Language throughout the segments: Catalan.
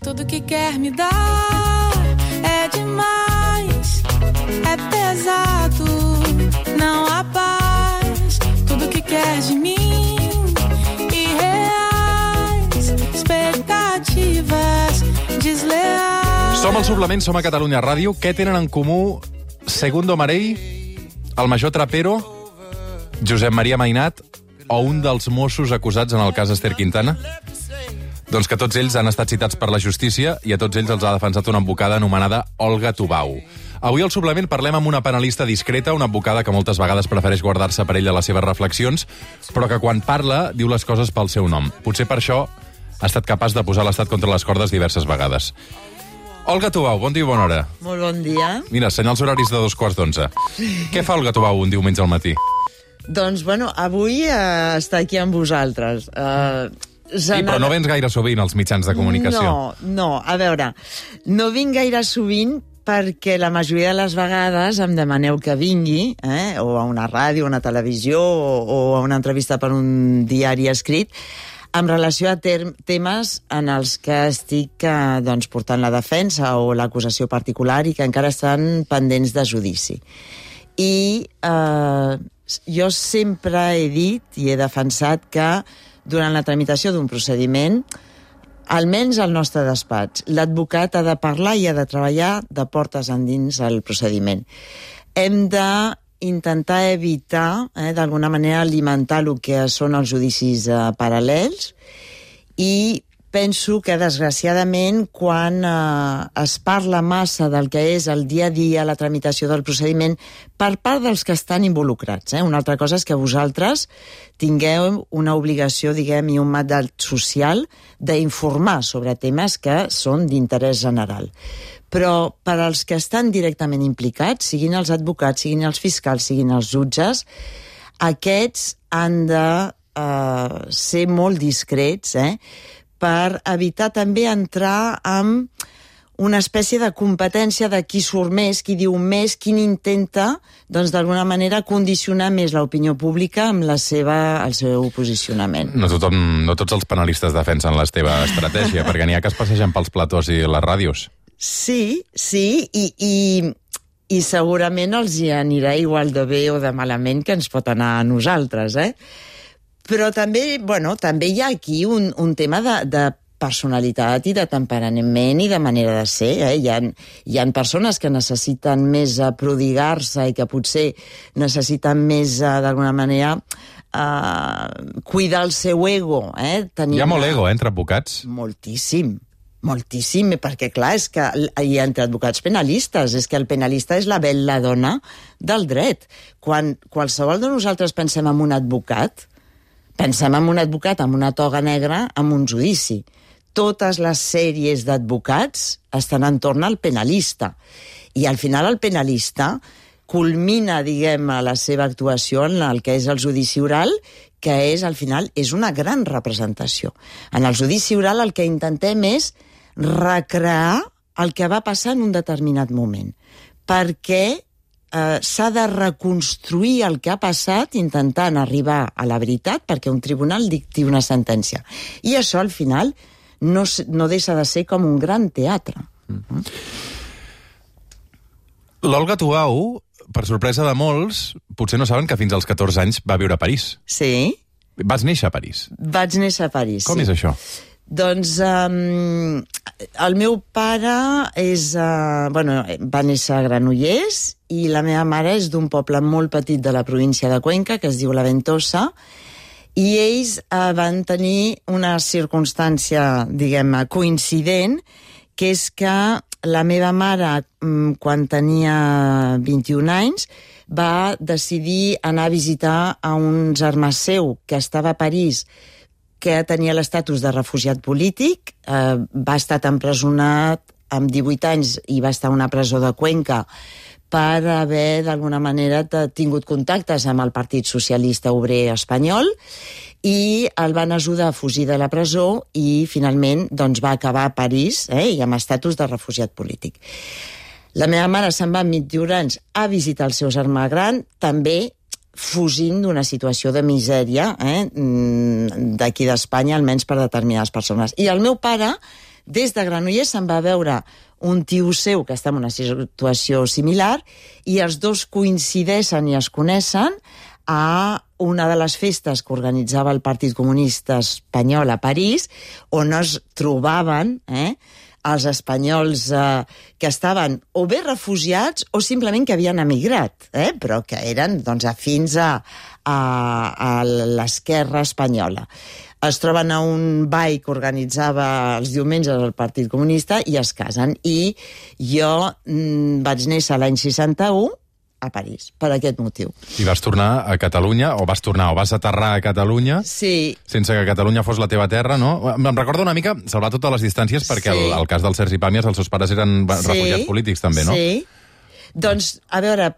Tudo que quer me dar é demais, é pesado, não há paz. Tudo que quer de mim, irreais, expectativas desleais. Som al Suplement, som a Catalunya Ràdio. Què tenen en comú Segundo Marell, el major Trapero, Josep Maria Mainat o un dels Mossos acusats en el cas Ester Quintana? Doncs que tots ells han estat citats per la justícia i a tots ells els ha defensat una advocada anomenada Olga Tubau. Avui al Suplement parlem amb una penalista discreta, una advocada que moltes vegades prefereix guardar-se per ella les seves reflexions, però que quan parla diu les coses pel seu nom. Potser per això ha estat capaç de posar l'Estat contra les cordes diverses vegades. Olga Tubau, bon dia i bona hora. Molt bon dia. Mira, senyals horaris de 2:15. Què fa Olga Tubau un diumenge al matí? Doncs, bueno, avui està aquí amb vosaltres. Sí, però no vens gaire sovint als mitjans de comunicació. No, a veure, no vinc gaire sovint perquè la majoria de les vegades em demaneu que vingui, o a una ràdio, a una televisió, o a una entrevista per un diari escrit, en relació a temes en els que estic portant la defensa o l'acusació particular i que encara estan pendents de judici. I jo sempre he dit i he defensat que durant la tramitació d'un procediment, almenys al nostre despatx, l'advocat ha de parlar i ha de treballar de portes endins al procediment. Hem d'intentar evitar, d'alguna manera, alimentar el que són els judicis paral·lels i penso que, desgraciadament, quan es parla massa del que és el dia a dia, la tramitació del procediment, per part dels que estan involucrats. Una altra cosa és que vosaltres tingueu una obligació, diguem, i un mandat social d'informar sobre temes que són d'interès general. Però per als que estan directament implicats, siguin els advocats, siguin els fiscals, siguin els jutges, aquests han de ser molt discrets, per evitar també entrar en una espècie de competència de qui surt més, qui diu més, qui intenta, doncs, d'alguna manera, condicionar més l'opinió pública amb el seu posicionament. No tots els penalistes defensen la teva estratègia, perquè n'hi ha que es passegen pels platós i les ràdios. Sí, i segurament els hi anirà igual de bé o de malament que ens pot anar a nosaltres, Però també, també hi ha aquí un tema de personalitat i de temperament i de manera de ser. Hi ha persones que necessiten més prodigar-se i que potser necessiten més, d'alguna manera, cuidar el seu ego. Hi ha molt ego, entre advocats? Moltíssim, perquè, clar, és que hi ha entre advocats penalistes, és que el penalista és la bel·ladonna del dret. Quan qualsevol de nosaltres pensem en un advocat, pensem en un advocat amb una toga negra amb un judici. Totes les sèries d'advocats estan entorn al penalista. I al final el penalista culmina, diguem, la seva actuació en el que és el judici oral, que és, al final, és una gran representació. En el judici oral el que intentem és recrear el que va passar en un determinat moment. Perquè s'ha de reconstruir el que ha passat intentant arribar a la veritat perquè un tribunal dicti una sentència. I això, al final, no deixa de ser com un gran teatre. L'Olga Tubau, per sorpresa de molts, potser no saben que fins als 14 anys va viure a París. Sí. Vas néixer a París? Vaig néixer a París, Com és això? Doncs el meu pare va néixer a Granollers i la meva mare és d'un poble molt petit de la província de Cuenca, que es diu La Ventosa, i ells van tenir una circumstància, diguem, coincident, que és que la meva mare, quan tenia 21 anys, va decidir anar a visitar a un germà seu que estava a París, que tenia l'estatus de refugiat polític, va estar empresonat amb 18 anys i va estar a una presó de Cuenca per haver, d'alguna manera, tingut contactes amb el Partit Socialista Obrer Espanyol i el van ajudar a fugir de la presó i, finalment, doncs, va acabar a París i amb estatus de refugiat polític. La meva mare se'n va amb 21 anys a visitar el seu germà gran, també fugint d'una situació de misèria d'aquí d'Espanya, almenys per determinades persones. I el meu pare des de Granollers se'n va veure un tio seu que està en una situació similar i els dos coincideixen i es coneixen a una de les festes que organitzava el Partit Comunista Espanyol a París, on es trobaven els espanyols que estaven o bé refugiats o simplement que havien emigrat, però que eren afins a l'esquerra espanyola. Es troben a un ball que organitzava els diumenges el Partit Comunista i es casen. I jo vaig néixer l'any 61 a París, per aquest motiu. I vas tornar a Catalunya, o vas aterrar a Catalunya, sí, sense que Catalunya fos la teva terra, no? Em recorda una mica, salvar totes les distàncies, perquè sí. el cas del Sergi Pàmies, els seus pares eren refugiats polítics, també, no? Sí. Doncs, a veure,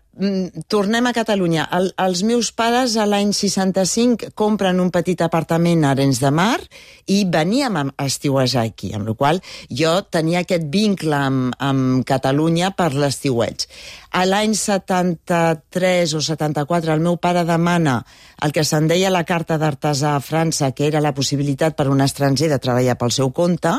tornem a Catalunya. Els meus pares, a l'any 65, compren un petit apartament a Arenys de Mar i veníem a estiuejar aquí, amb la qual jo tenia aquest vincle amb Catalunya per l'estiueig. A l'any 73 o 74 el meu pare demana el que se'n deia la carta d'artesà a França, que era la possibilitat per un estranger de treballar pel seu compte.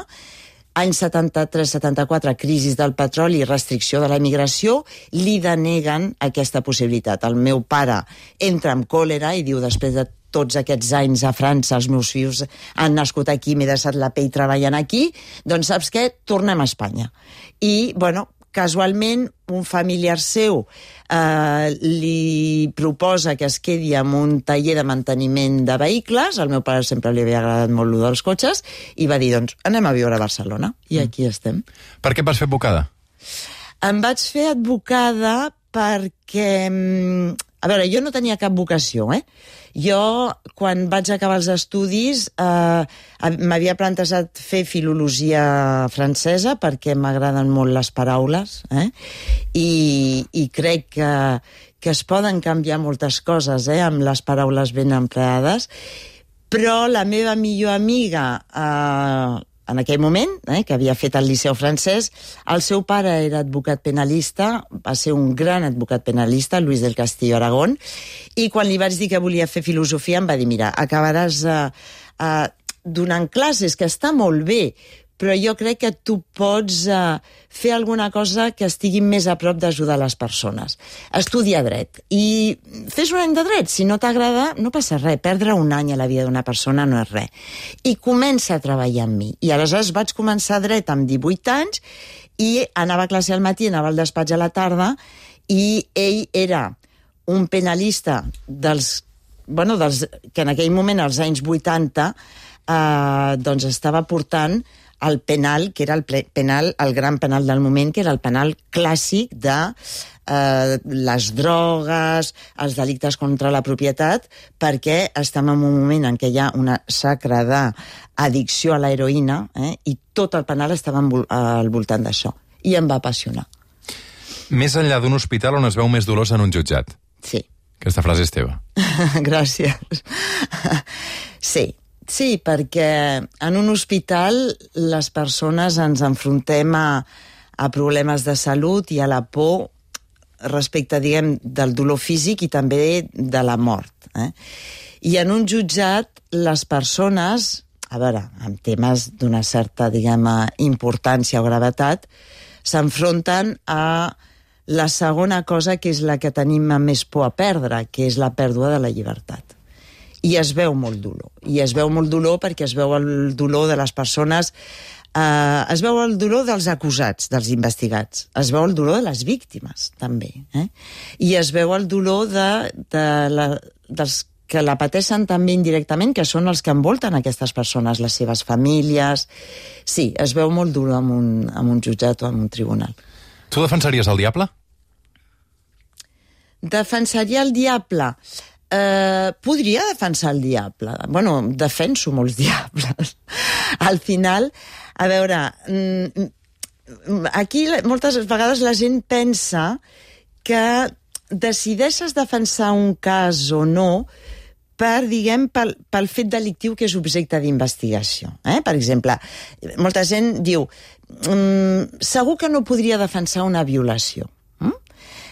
Any 73-74, crisi del petroli i restricció de la immigració, li deneguen aquesta possibilitat. El meu pare entra amb còlera i diu, després de tots aquests anys a França, els meus fills han nascut aquí, m'he deixat la pell treballant aquí, doncs saps què? Tornem a Espanya. I, bueno, casualment, un familiar seu li proposa que es quedi en un taller de manteniment de vehicles. Al meu pare sempre li havia agradat molt lo dels cotxes i va dir, doncs, anem a viure a Barcelona. I aquí estem. Per què et vas fer advocada? Em vaig fer advocada perquè... A veure, jo no tenia cap vocació, Jo, quan vaig acabar els estudis, m'havia plantejat fer filologia francesa perquè m'agraden molt les paraules, i crec que es poden canviar moltes coses, amb les paraules ben empleades, però la meva millor amiga... en aquell moment, que havia fet el Liceu francès, el seu pare era advocat penalista, va ser un gran advocat penalista, Luis del Castillo Aragón, i quan li vaig dir que volia fer filosofia em va dir, mira, acabaràs donant classes, que està molt bé, però jo crec que tu pots fer alguna cosa que estigui més a prop d'ajudar les persones. Estudia dret. I fes un any de dret. Si no t'agrada, no passa res. Perdre un any a la vida d'una persona no és res. I comença a treballar amb mi. I aleshores vaig començar dret amb 18 anys i anava a classe al matí, anava al despatx a la tarda, i ell era un penalista que en aquell moment, als anys 80, doncs estava portant el penal, que era el gran penal del moment, que era el penal clàssic de les drogues, els delictes contra la propietat, perquè estem en un moment en què hi ha una xacra d'addicció a l'heroïna, i tot el penal estava al voltant d'això. I em va apassionar. Més enllà d'un hospital on es veu més dolors en un jutjat. Sí. Aquesta frase és teva. Gràcies. Sí, perquè en un hospital les persones ens enfrontem a problemes de salut i a la por respecte, diguem, del dolor físic i també de la mort. I en un jutjat les persones, a veure, amb temes d'una certa, diguem, importància o gravetat, s'enfronten a la segona cosa que és la que tenim més por a perdre, que és la pèrdua de la llibertat. I es veu molt dolor. I es veu molt dolor perquè es veu el dolor de les persones, es veu el dolor dels acusats, dels investigats, es veu el dolor de les víctimes, també. I es veu el dolor dels que la pateixen també indirectament, que són els que envolten aquestes persones, les seves famílies. Sí, es veu molt dolor en un jutjat o en un tribunal. Tu defensaries el diable? Defensaria el diable... podria defensar el diable. Bueno, defenso molts diables. Al final, a veure, aquí moltes vegades la gent pensa que decideixes defensar un cas o no pel fet delictiu que és objecte d'investigació. Per exemple, molta gent diu segur que no podria defensar una violació.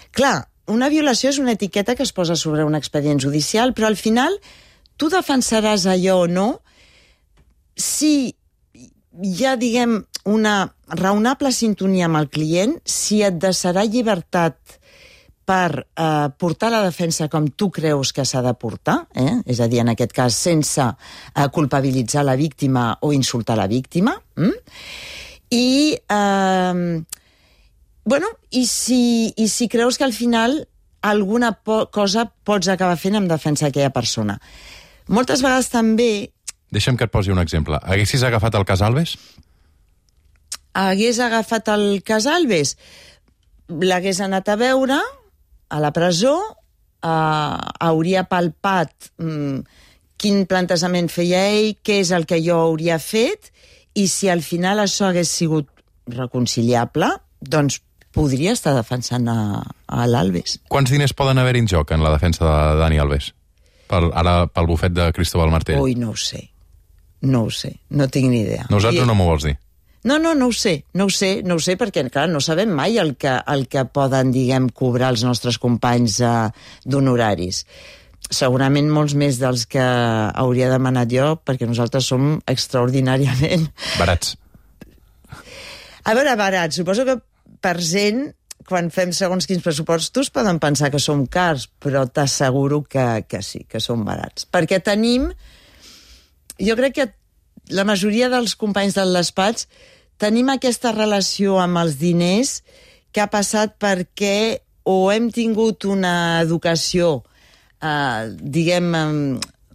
Clar, una violació és una etiqueta que es posa sobre un expedient judicial, però al final tu defensaràs allò o no si hi ha, diguem, una raonable sintonia amb el client, si et deixarà llibertat per portar la defensa com tu creus que s'ha de portar, és a dir, en aquest cas, sense culpabilitzar la víctima o insultar la víctima, i si creus que al final alguna cosa pots acabar fent en defensa d'aquella persona. Moltes vegades també... Deixa'm que et posi un exemple. Haguessis agafat el cas Alves? Hagués agafat el cas Alves, l'hagués anat a veure a la presó, hauria palpat quin plantejament feia ell, què és el que jo hauria fet, i si al final això hagués sigut reconciliable, doncs podria estar defensant a l'Alves. Quants diners poden haver en joc en la defensa de Dani Alves? Ara pel bufet de Cristóbal Martell. Ui, no ho sé, no tinc ni idea. No ho saps o no m'ho vols dir? No ho sé, perquè, clar, no sabem mai el que poden, diguem, cobrar els nostres companys d'honoraris. Segurament molts més dels que hauria demanat jo, perquè nosaltres som extraordinàriament... Barats. A veure, barats. Suposo que per gent, quan fem segons quins pressupostos, poden pensar que som cars, però t'asseguro que sí, que som barats. Perquè tenim... Jo crec que la majoria dels companys del despatx tenim aquesta relació amb els diners que ha passat perquè o hem tingut una educació, diguem,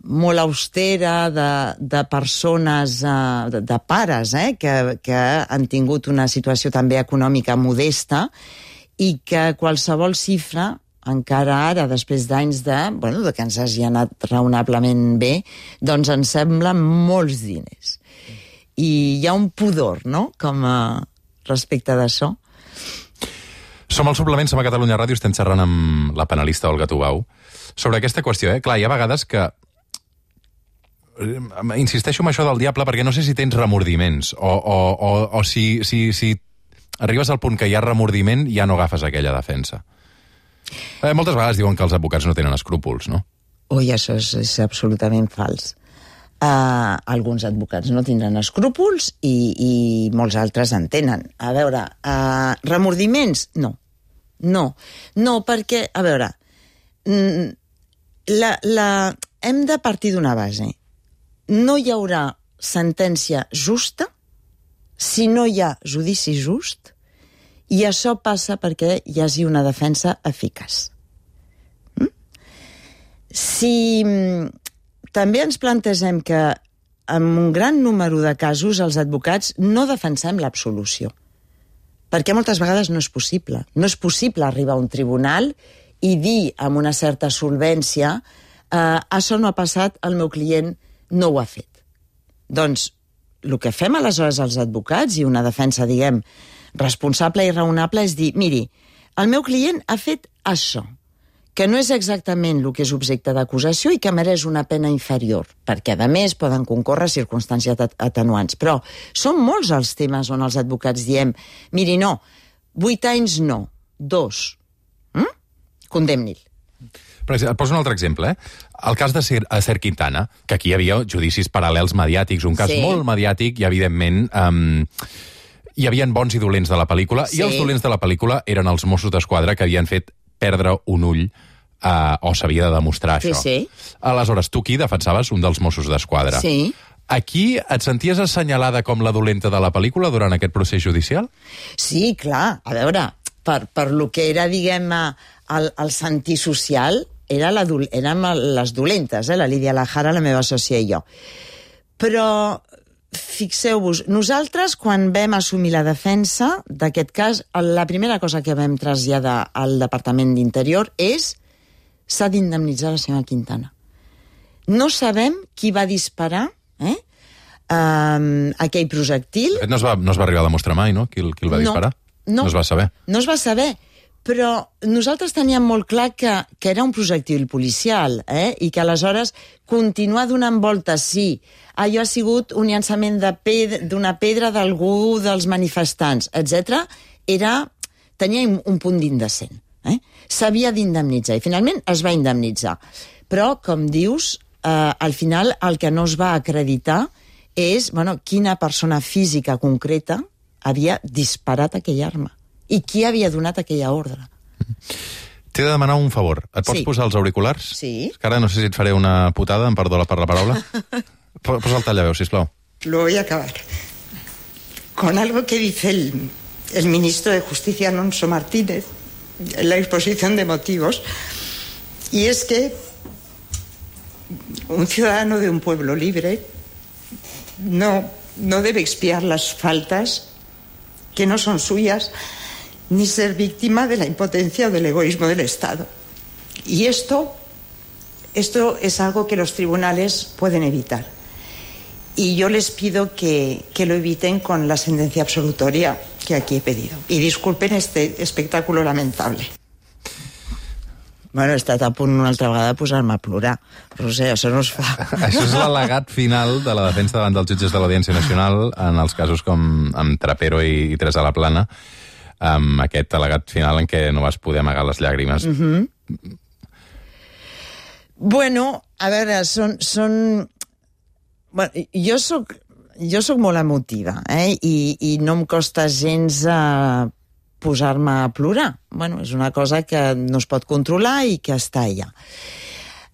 molt austera de persones, de pares, que han tingut una situació també econòmica modesta i que qualsevol xifra, encara ara, després d'anys de que ens hagi anat raonablement bé, doncs ens sembla molts diners. I hi ha un pudor, no?, com respecte d'això. Som al Suplement, som a Catalunya Ràdio, estem xerrant amb la penalista Olga Tubau sobre aquesta qüestió. Clar, hi ha vegades que... Insisteixo en això del diable perquè no sé si tens remordiments o si arribes al punt que hi ha remordiment i ja no agafes aquella defensa. Moltes vegades diuen que els advocats no tenen escrúpols, no? Ui, això és absolutament fals. Alguns advocats no tindran escrúpols i molts altres en tenen. A veure, remordiments? No. No, perquè, a veure, hem de partir d'una base. No hi haurà sentència justa si no hi ha judici just, i això passa perquè hi hagi una defensa eficaç. Si també ens plantegem que en un gran número de casos els advocats no defensem l'absolució, perquè moltes vegades no és possible. No és possible arribar a un tribunal i dir amb una certa solvència això no ha passat, el meu client no ho ha fet. Doncs el que fem aleshores els advocats, i una defensa, diguem, responsable i raonable, és dir, miri, el meu client ha fet això, que no és exactament el que és objecte d'acusació i que mereix una pena inferior, perquè, a més, poden concórrer circumstàncies atenuants. Però són molts els temes on els advocats diem, miri, no, 8 anys no, 2. Condemni'l. Et poso un altre exemple, El cas de Ser Quintana, que aquí hi havia judicis paral·lels mediàtics, un cas molt mediàtic i, evidentment, hi havia bons i dolents de la pel·lícula, i els dolents de la pel·lícula eren els Mossos d'Esquadra que havien fet perdre un ull o s'havia de demostrar això. Aleshores, tu aquí defensaves un dels Mossos d'Esquadra. Sí. Aquí et senties assenyalada com la dolenta de la pel·lícula durant aquest procés judicial? Sí, clar. A veure, per lo que era, diguem, el sentir social, érem les dolentes, la Lídia Lajara, la meva sòcia i jo. Però fixeu-vos, nosaltres, quan vam assumir la defensa d'aquest cas, la primera cosa que vam traslladar al Departament d'Interior és s'ha d'indemnitzar la senyora Quintana. No sabem qui va disparar aquell projectil. No es va arribar a demostrar mai, no?, qui el va disparar? No es va saber. No es va saber, però nosaltres teníem molt clar que era un projectil policial, i que aleshores continuar donant voltes, sí, allò ha sigut un llançament d'una pedra d'algú dels manifestants, etc., tenia un punt d'indecent. S'havia d'indemnitzar, i finalment es va indemnitzar. Però, com dius, al final el que no es va acreditar és quina persona física concreta havia disparat aquella arma i qui havia donat aquella ordre. T'he de demanar un favor. Et pots Sí. posar els auriculars? Sí. És que ara no sé si et faré una putada, em perdó per la paraula. Posa el tallaveu, sisplau. Lo voy a acabar con algo que dice el ministro de Justicia, Alonso Martínez, en la exposición de motivos, y es que un ciudadano de un pueblo libre no debe expiar las faltas que no son suyas, ni ser víctima de la impotencia o del egoísmo del Estado. Y esto es algo que los tribunales pueden evitar. Y yo les pido que lo eviten con la sentencia absolutoria que aquí he pedido. Y disculpen este espectáculo lamentable. Bueno, he estat a punt una altra vegada de posar-me a plorar. Roser, això no es fa. Això és l'al·legat final de la defensa davant dels jutges de l'Audiència Nacional en els casos com amb Trapero i Teresa Laplana, amb aquest al·legat final en què no vas poder amagar les llàgrimes. Bueno, a veure, Bueno, jo soc molt emotiva, i no em costa gens posar-me a plorar. Bueno, és una cosa que no es pot controlar i que està allà.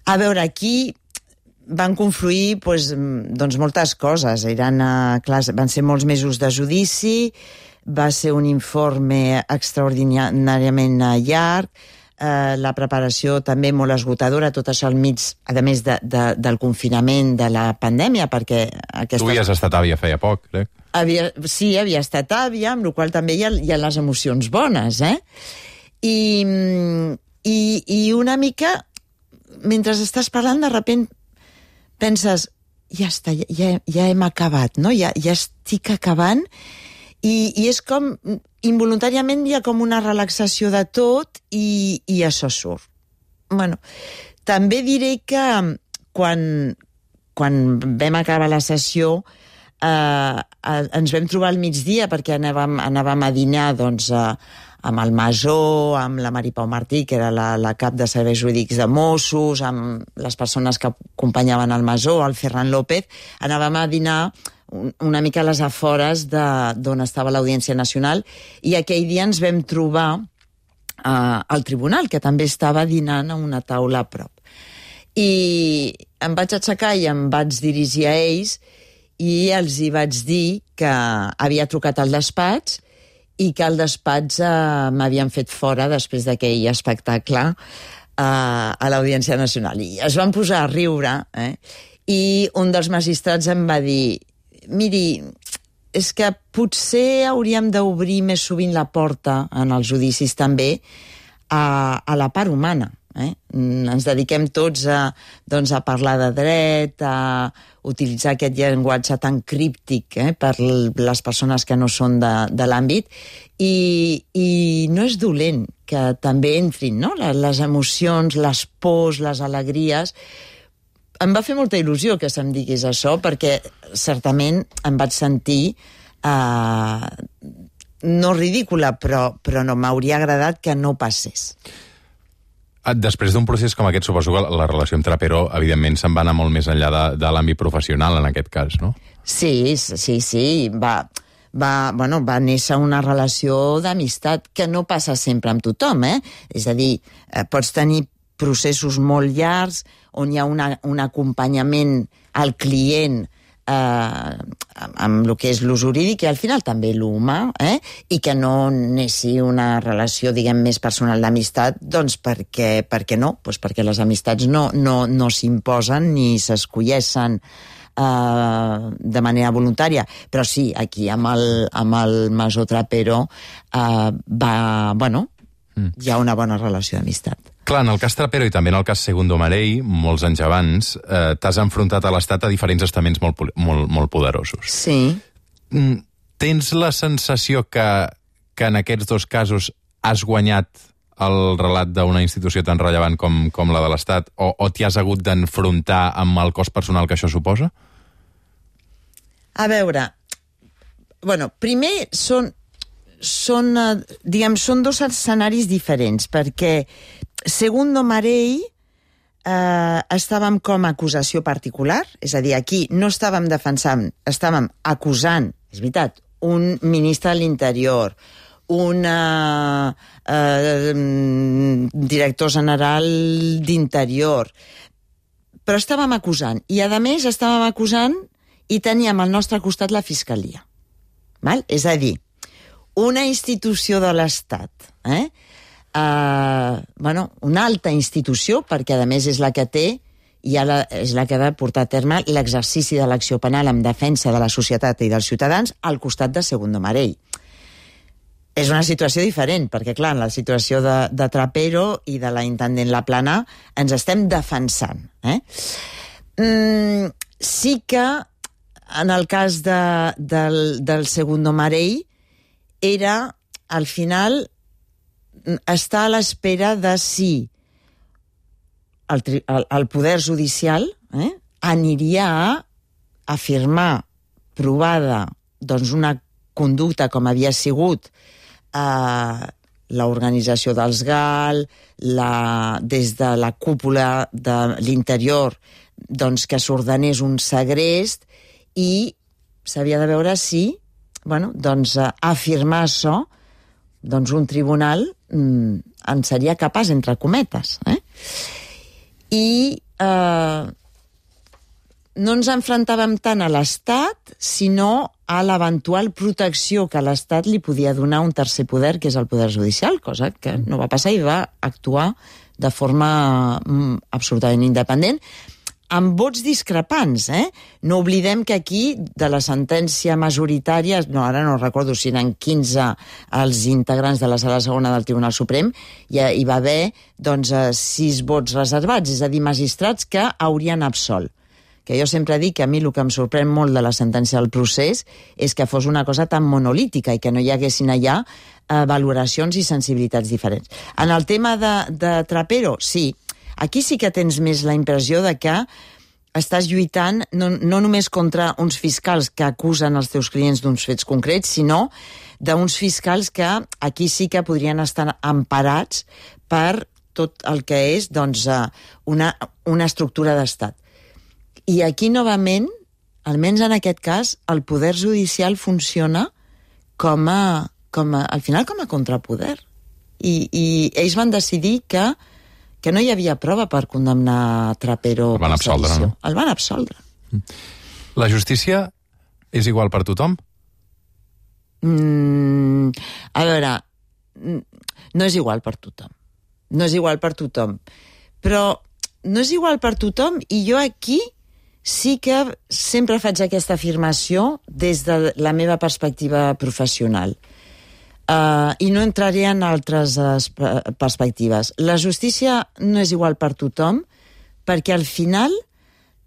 A veure, aquí van confluir doncs moltes coses. Van ser molts mesos de judici, va ser un informe extraordinàriament llarg, la preparació també molt esgotadora, tot això al mig, a més del confinament de la pandèmia, perquè Tu havies estat àvia feia poc, crec. Sí, havia estat àvia, amb la qual també hi ha les emocions bones, I una mica, mentre estàs parlant, de sobte penses, ja està, ja hem acabat, no? Ja estic acabant, i és com, involuntàriament hi ha com una relaxació de tot i això surt. Bueno, també diré que quan vam acabar la sessió ens vam trobar al migdia perquè anàvem a dinar doncs, amb el Masó, amb la Mari Pau Martí, que era la cap de serveis jurídics de Mossos, amb les persones que acompanyaven el Masó, el Ferran López. Anàvem a dinar una mica a les afores d'on estava l'Audiència Nacional, i aquell dia ens vam trobar al tribunal, que també estava dinant a una taula a prop. I em vaig aixecar i em vaig dirigir a ells i els hi vaig dir que havia trucat al despatx i que al despatx m'havien fet fora després d'aquell espectacle a l'Audiència Nacional. I es van posar a riure, i un dels magistrats em va dir: miri, és que potser hauríem d'obrir més sovint la porta en els judicis també a la part humana. Ens dediquem tots a parlar de dret, a utilitzar aquest llenguatge tan críptic per les persones que no són de l'àmbit, i no és dolent que també entrin, no? Les emocions, les pors, les alegries. Em va fer molta il·lusió que se'm digués això, perquè certament em vaig sentir no ridícula, però no m'hauria agradat que no passés. Després d'un procés com aquest, suposo que la relació amb Trapero, evidentment, se'n va anar molt més enllà de l'àmbit professional, en aquest cas, no? Sí. Va néixer una relació d'amistat que no passa sempre amb tothom, És a dir, pots tenir processos molt llargs on hi ha un acompanyament al client amb el que és lo jurídic i al final també l'humà, i que no neixi una relació, diguem, més personal d'amistat, doncs perquè no? Doncs perquè les amistats no s'imposen ni s'escolleixen de manera voluntària. Però sí, aquí amb el Masó Trapero hi ha una bona relació d'amistat. Clar, en el cas Trapero i també en el cas Segundo Marell, molts anys abans, t'has enfrontat a l'Estat a diferents estaments molt poderosos. Sí. Tens la sensació que en aquests dos casos has guanyat el relat d'una institució tan rellevant com la de l'Estat, o t'hi has hagut d'enfrontar amb el cost personal que això suposa? A veure, primer són dos escenaris diferents, perquè Segundo Marell estàvem com a acusació particular, és a dir, aquí no estàvem defensant, estàvem acusant, és veritat, un ministre de l'Interior, un director general d'Interior, però estàvem acusant. I, a més, estàvem acusant i teníem al nostre costat la Fiscalia. Val? És a dir, una institució de l'Estat, una alta institució, perquè, a més, és la que té i és la que ha de portar a terme l'exercici de l'acció penal en defensa de la societat i dels ciutadans al costat de Segundo Marell. És una situació diferent, perquè, clar, en la situació de Trapero i de la intendent Laplana ens estem defensant. Sí que, en el cas del Segundo Marell, era, al final, estar a l'espera de si el poder judicial aniria a afirmar provada una conducta com havia sigut l'organització dels GAL, des de la cúpula de l'Interior, que s'ordenés un segrest, i s'havia de veure si afirmar això un tribunal en seria capaç, entre cometes. I no ens enfrontàvem tant a l'Estat, sinó a l'eventual protecció que l'Estat li podia donar un tercer poder, que és el poder judicial, cosa que no va passar i va actuar de forma absolutament independent, amb vots discrepants. No oblidem que aquí, de la sentència majoritària, ara no recordo si eren 15 els integrants de la Sala Segona del Tribunal Suprem, hi va haver 6 vots reservats, és a dir, magistrats que haurien absolt. Que jo sempre dic que a mi el que em sorprèn molt de la sentència del procés és que fos una cosa tan monolítica i que no hi haguessin allà valoracions i sensibilitats diferents. En el tema de Trapero, sí, aquí sí que tens més la impressió de que estàs lluitant no només contra uns fiscals que acusen els teus clients d'uns fets concrets, sinó d'uns fiscals que aquí sí que podrien estar emparats per tot el que és una estructura d'estat. I aquí, novament, almenys en aquest cas, el poder judicial funciona al final com a contrapoder. I ells van decidir que no hi havia prova per condemnar Trapero. El van absoldre, no? El van absoldre. La justícia és igual per tothom? A veure, no és igual per tothom. No és igual per tothom. Però no és igual per tothom, i jo aquí sí que sempre faig aquesta afirmació des de la meva perspectiva professional. I no entraré en altres perspectives. La justícia no és igual per tothom, perquè al final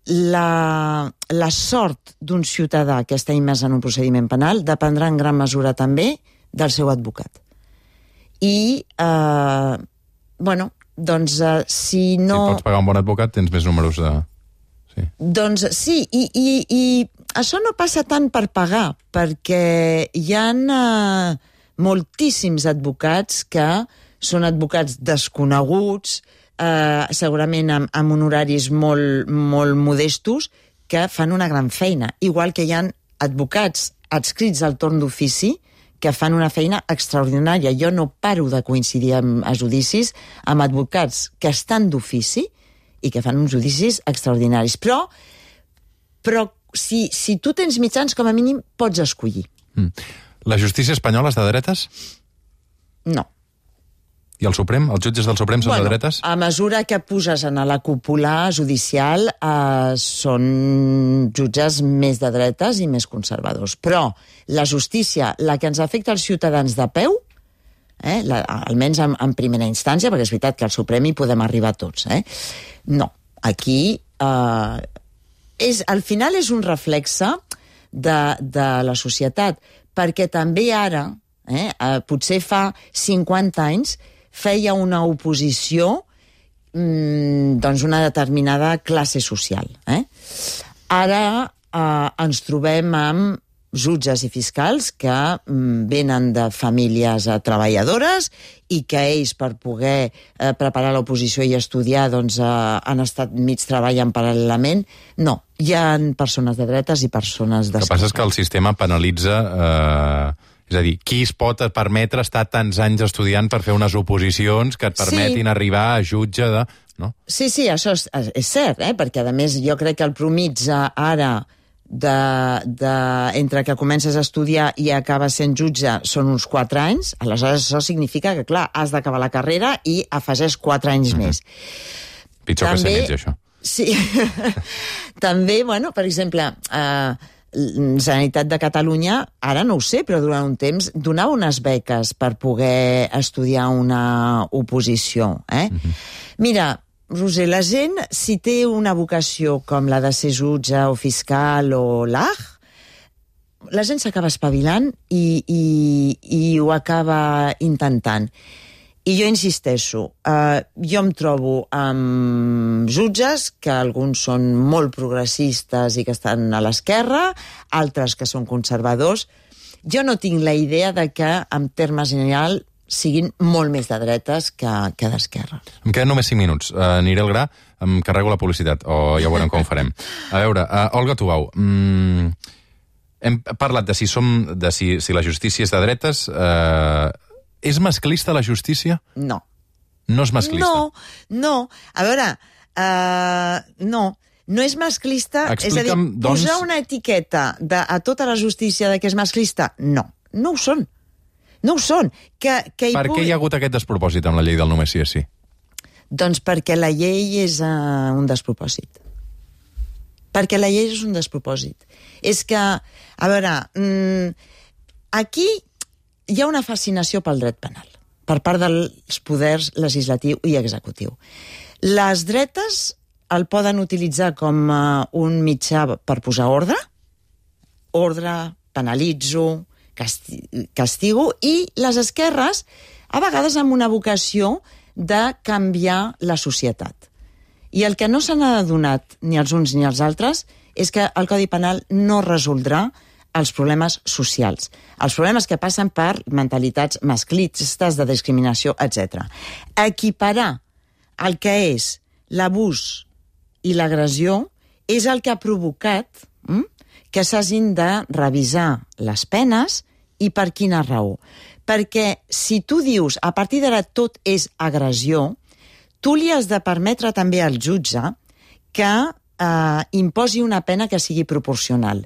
la sort d'un ciutadà que està immers en un procediment penal dependrà en gran mesura també del seu advocat. I, si no... Si pots pagar un bon advocat, tens més números de... Sí. Doncs sí, i això no passa tant per pagar, perquè hi ha moltíssims advocats que són advocats desconeguts, segurament amb honoraris molt, molt modestos, que fan una gran feina. Igual que hi ha advocats adscrits al torn d'ofici que fan una feina extraordinària. Jo no paro de coincidir a judicis amb advocats que estan d'ofici i que fan uns judicis extraordinaris. Però si tu tens mitjans, com a mínim, pots escollir. La justícia espanyola és de dretes? No. I el Suprem? Els jutges del Suprem són de dretes? A mesura que puges en la cúpula judicial, són jutges més de dretes i més conservadors. Però la justícia, la que ens afecta als ciutadans de peu, almenys en primera instància, perquè és veritat que al Suprem hi podem arribar tots, no, aquí al final és un reflexe de la societat, perquè també ara, potser fa 50 anys, feia una oposició una determinada classe social. Ara ens trobem amb jutges i fiscals que venen de famílies treballadores i que ells, per poder preparar l'oposició i estudiar, doncs, han estat mig treballant paral·lelament. No, hi ha persones de dretes i persones d'esquerres. El que passa és que el sistema penalitza... És a dir, qui es pot permetre estar tants anys estudiant per fer unes oposicions que et permetin arribar a jutge de... No? Sí, això és cert, perquè, a més, jo crec que el promitja ara entre que comences a estudiar i acabes sent jutge són uns 4 anys, aleshores això significa que, clar, has d'acabar la carrera i afegeix 4 anys més. Pitjor també, que ser metge, això. Sí. També, bueno, per exemple, Generalitat de Catalunya, ara no ho sé, però durant un temps donava unes beques per poder estudiar una oposició. Mira, Roser, la gent, si té una vocació com la de ser jutge o fiscal o l'AG, la gent s'acaba espavilant i ho acaba intentant. I jo insisteixo, jo em trobo amb jutges que alguns són molt progressistes i que estan a l'esquerra, altres que són conservadors. Jo no tinc la idea de que, en termes generals, siguin molt més de dretes que d'esquerra. Em queden només 5 minuts. Aniré al gra, em carrego la publicitat, o ja veurem com ho farem. A veure, Olga Tubau, hem parlat de si la justícia és de dretes. És masclista la justícia? No. No és masclista? No. A veure, no és masclista. Explica'm, és a dir, posar una etiqueta a tota la justícia de que és masclista, no ho són. No ho són. Per què hi ha hagut aquest despropòsit amb la llei del només sí és sí? Doncs perquè la llei és un despropòsit. Perquè la llei és un despropòsit. És que, a veure, aquí hi ha una fascinació pel dret penal per part dels poders legislatiu i executiu. Les dretes el poden utilitzar com un mitjà per posar ordre, penalitzo, castigo, i les esquerres a vegades amb una vocació de canviar la societat. I el que no s'han adonat ni els uns ni els altres és que el Codi Penal no resoldrà els problemes socials, els problemes que passen per mentalitats masclistes, de discriminació, etc. Equiparar el que és l'abús i l'agressió és el que ha provocat que s'hagin de revisar les penes. I per quina raó? Perquè si tu dius a partir d'ara tot és agressió, tu li has de permetre també al jutge que imposi una pena que sigui proporcional.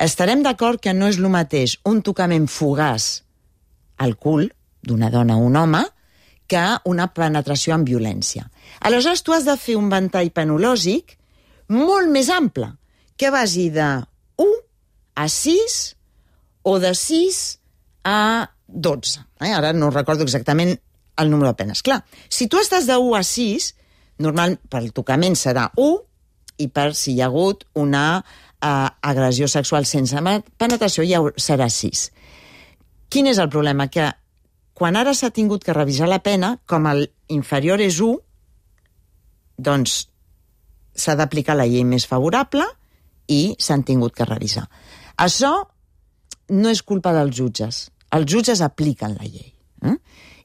Estarem d'acord que no és el mateix un tocament fugaç al cul d'una dona o un home que una penetració amb violència. Aleshores, tu has de fer un ventall penològic molt més ample, que vagi de 1 a 6 o de 6 a 12. Ara no recordo exactament el número de penes. Clar, si tu estàs de 1 a 6, normal pel tocament serà 1, i per si hi ha hagut una agressió sexual sense penetració ja serà 6. Quin és el problema? Que quan ara s'ha tingut que revisar la pena, com el inferior és 1, doncs s'ha d'aplicar la llei més favorable i s'han tingut que revisar. Això no és culpa dels jutges. Els jutges apliquen la llei.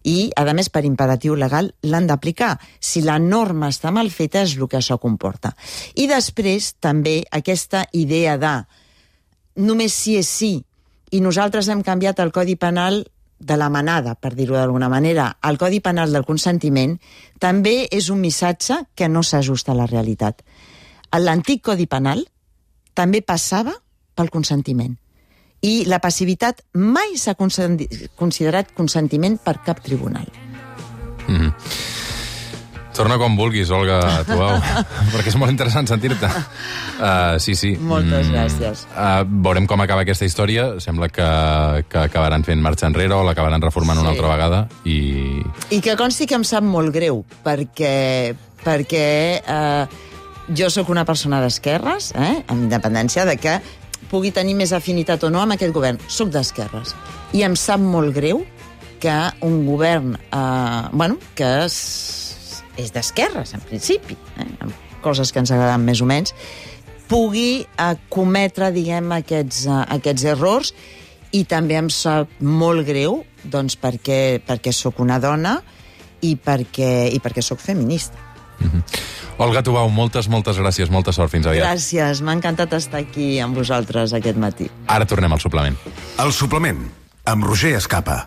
I, a més, per imperatiu legal, l'han d'aplicar. Si la norma està mal feta, és el que això comporta. I després, també, aquesta idea de només sí és sí, i nosaltres hem canviat el Codi Penal de la manada, per dir-ho d'alguna manera, el Codi Penal del consentiment, també és un missatge que no s'ajusta a la realitat. L'antic Codi Penal també passava pel consentiment. I la passivitat mai s'ha considerat consentiment per cap tribunal. Torna com vulguis, Olga Tubau, perquè és molt interessant sentir-te. Sí. Moltes gràcies. Veurem com acaba aquesta història. Sembla que acabaran fent marxa enrere o l'acabaran reformant una altra vegada. I que consti que em sap molt greu, perquè jo sóc una persona d'esquerres, amb independència de que pugui tenir més afinitat o no amb aquest govern. Soc d'esquerres. I em sap molt greu que un govern que és d'esquerres, en principi, amb coses que ens agraden més o menys, pugui cometre, diguem, aquests errors, i també em sap molt greu, doncs, perquè sóc una dona i perquè sóc feminista. Olga Tubau, moltes gràcies, molta sort, fins aviat. Gràcies, m'ha encantat estar aquí amb vosaltres aquest matí. Ara tornem al suplement. El suplement, amb Roger Escapa.